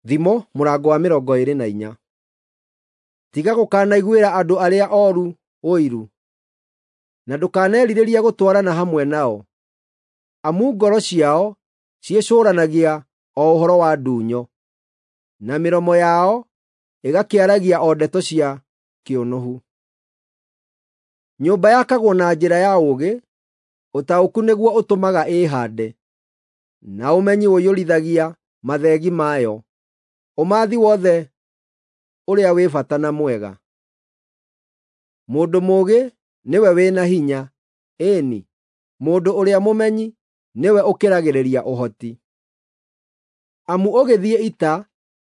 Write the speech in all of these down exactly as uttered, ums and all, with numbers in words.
Thimo mũrango wa mĩrongo ĩĩrĩ na inya. Tiga gũkanaiguĩra andũ arĩa ooru ũiru, na ndũkanerirĩrie gũtwarana hamwe nao, amu ngoro ciao ciĩcũũranagia o ũhoro wa ndunyo, na mĩromo yao ĩgakĩaragia o ndeto cia kĩũnũhu. Nyũmba yakagwo na njĩra ya ũũgĩ, ũtaũku nĩguo ũtũmaga ĩĩhaande, na ũmenyi ũiyũrithagia matheegi mayo ũmathi wothe ũrĩa wĩ bata na mwega. Mũndũ mũũgĩ nĩwe wĩ na hinya, ĩĩ-ni, mũndũ ũrĩa mũmenyi nĩwe ũkĩragĩrĩria ũhoti. Amu ũgĩthiĩ ita,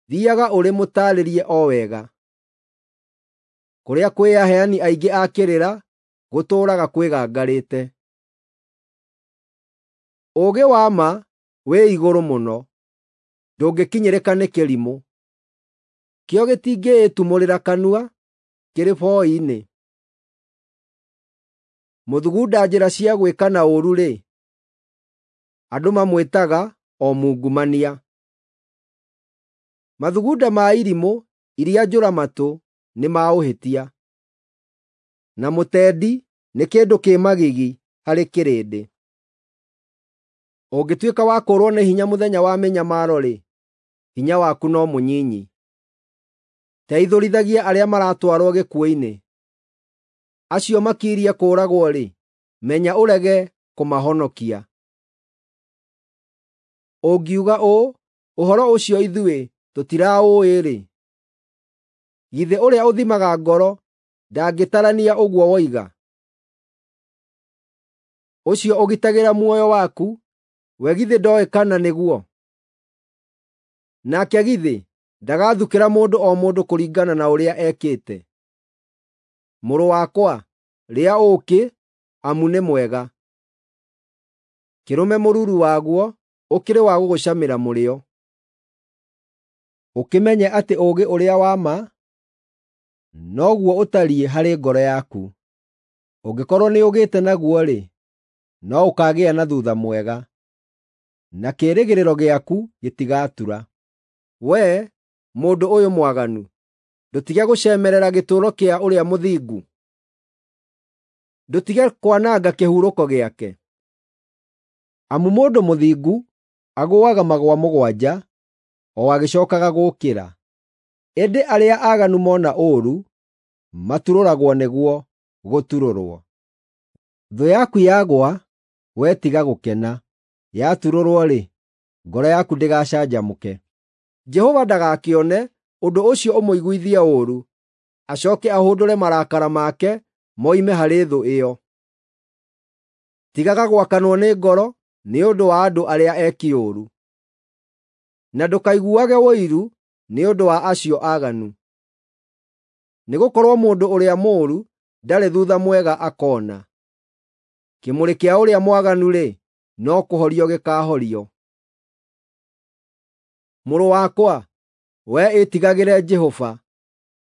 thiiaga ũrĩ mũtaarĩrie o wega. Kũrĩa kwĩ aheani aingĩ a kĩrĩra, gũtũũraga kwĩgangarĩte. Ũũgĩ wa ma wĩ igũrũ mũno, ndũngĩkinyĩrĩka nĩ kĩrimũ. Kĩo gĩtingĩĩtumũrĩra kanua kĩrĩ boi-inĩ. Mũthugunda njĩra cia gwĩkana ũũru-rĩ, andũ mamwĩtaga o mungumania. Mathugunda ma irimũ iria njũra-matũ nĩ ma ũhĩtia, na mũtendi nĩ kĩndũ kĩ magigi harĩ kĩrĩndĩ. Ũngĩtuĩka wa kũũrwo nĩ hinya mũthenya wa mĩnyamaro-rĩ, hinya waku no mũnyinyi. Teithũrithagia arĩa maratwarwo gĩkuũ-inĩ. Acio makirie kũũragwo-rĩ, menya ũrege kũmahonokia. Ũngiuga ũũ, “Ũhoro ũcio ithuĩ tũtiraũũĩ-rĩ,” githĩ ũrĩa ũthimaga ngoro ndangĩtarania ũguo woiga? Ũcio ũgitagĩra muoyo waku, we githĩ ndooĩ kana nĩguo? Nake githĩ ndagathukĩra mũndũ o mũndũ kũringana na ũrĩa ekĩte? Mũrũ wakwa, rĩa ũũkĩ, amu nĩ mwega; kĩrũme mũruru waguo ũkĩrĩ wa gũgũcamĩra mũrĩo. Ũkĩmenye atĩ ũũgĩ ũrĩa wa ma noguo ũtariĩ harĩ ngoro yaku. Ũngĩkorwo nĩũgĩte naguo-rĩ, no ũkaagĩa na thuutha mwega, na kĩĩrĩgĩrĩro gĩaku gĩtigatura. Wee, mũndũ ũyũ mwaganu, ndũtige gũcemerera gĩtũũro kĩa ũrĩa mũthingu, ndũtige kwananga kĩhurũko gĩake. Amu mũndũ mũthingu agũũaga magũa mũgwanja o agĩcookaga gũũkĩra, ĩndĩ arĩa aaganu mona ũũru maturũragwo nĩguo gũturũrwo. Thũ yaku yagũa, wee tiga gũkena; yaturũrwo-rĩ, ngoro yaku ndĩgacanjamũke. Jehova ndagakĩone ũndũ ũcio ũmũiguithie ũũru, acooke ahũndũre marakara make moime harĩ thũ ĩyo. Tigaga gwakanwo nĩ ngoro nĩ ũndũ wa andũ arĩa eki ũũru, na ndũkaiguage ũiru nĩ ũndũ wa acio aaganu. Nĩgũkorwo mũndũ ũrĩa mũũru ndarĩ thuutha mwega akoona. Kĩmũrĩ kĩa ũrĩa mwaganu-rĩ, no kũhorio gĩkaahorio. Mũrũ wakwa, wee ĩtigagĩre Jehova,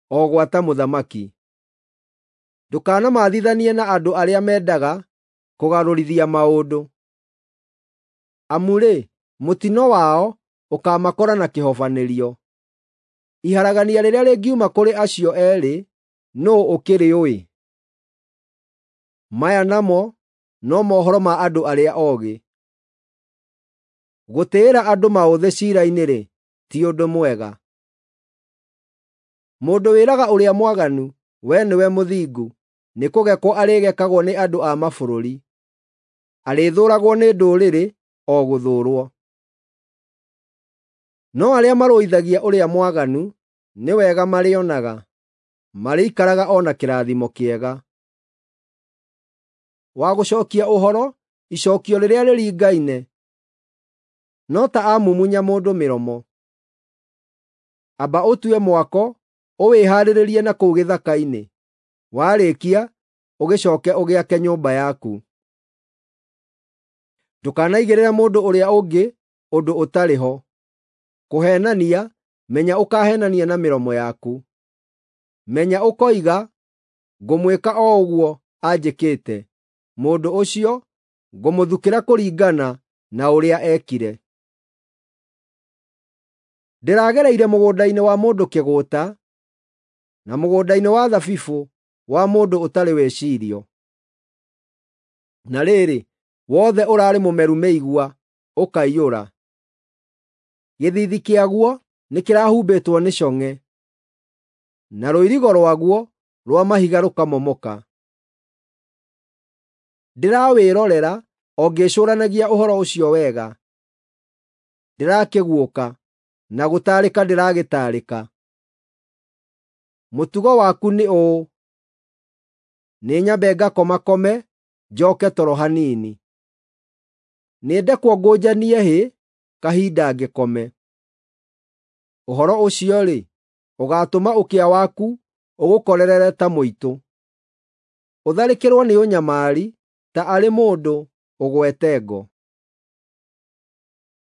o gwata mũthamaki. Ndũkanamathithanie na andũ arĩa mendaga kũgarũrithia maũndũ. Amu-rĩ, mũtino wao ũkaamakora na kĩhobanĩrio. Iharagania rĩrĩa rĩngiuma kũrĩ acio eerĩ, nũũ ũkĩrĩũĩ? Maya namo no mohoro ma andũ arĩa oogĩ. Gũtĩĩra andũ maũthĩ ciira-inĩ-rĩ, ti ũndũ mwega. Mũndũ wĩraga ũrĩa mwaganu, “Wee nĩwe mũthingu,” nĩkũgekwo arĩgekagwo nĩ andũ a mabũrũri. Arĩthũũragwo nĩ ndũrĩrĩ o gũthũũrwo. No arĩa marũithagia ũrĩa mwaganu nĩ wega marĩonaga, marĩikaraga o na kĩrathimo kĩega. Wa gũcookia ũhoro icookio rĩrĩa rĩringaine, no ta amumunya mũndũ mĩromo. Amba ũtue mwako ũwĩhaarĩrie na kũu gĩthaka-inĩ; warĩkia, ũgĩcooke ũgĩake nyũmba yaku. Ndũkanaigĩrĩre mũndũ ũrĩa ũngĩ ũndũ ũtarĩ ho. Kũheenania, menya ũkaheenania na mĩromo yaku. Menya ũkoiga, “Ngũmwĩka o ũguo anjĩkĩte,” mũndũ ũcio ngũmũthukĩra kũringana na ũrĩa eekire. Ndĩragereire mũgũnda-inĩ wa mũndũ kĩgũũta, na mũgũnda-inĩ wa thabibũ wa mũndũ ũtarĩ wĩcirio. Na rĩrĩ, wothe ũraarĩ mũmeru mĩigua, ũkaiyũra. Gĩthiithi kĩaguo nĩkĩrahumbĩtwo nĩ cong'e, na rũirigo rwaguo rwa mahiga rũkamomoka. Ndĩrawĩrorera o ngĩĩcũũranagia ũhoro ũcio wega; ndĩrakĩguũka, na gũtaarĩka ndĩragĩtaarĩka. Mũtugo waku nĩ ũũ: nĩnyambe ngakomakome, njooke toro hanini. Nĩndekwo ngũnjanie hĩ kahinda ngĩkome. Ũhoro ũcio-rĩ, ũgaatũma ũkĩa waku ũgũkorerere ta mũitũ, ũtharĩkĩrwo nĩ ũnyamari ta arĩ mũndũ ũgwete ngo.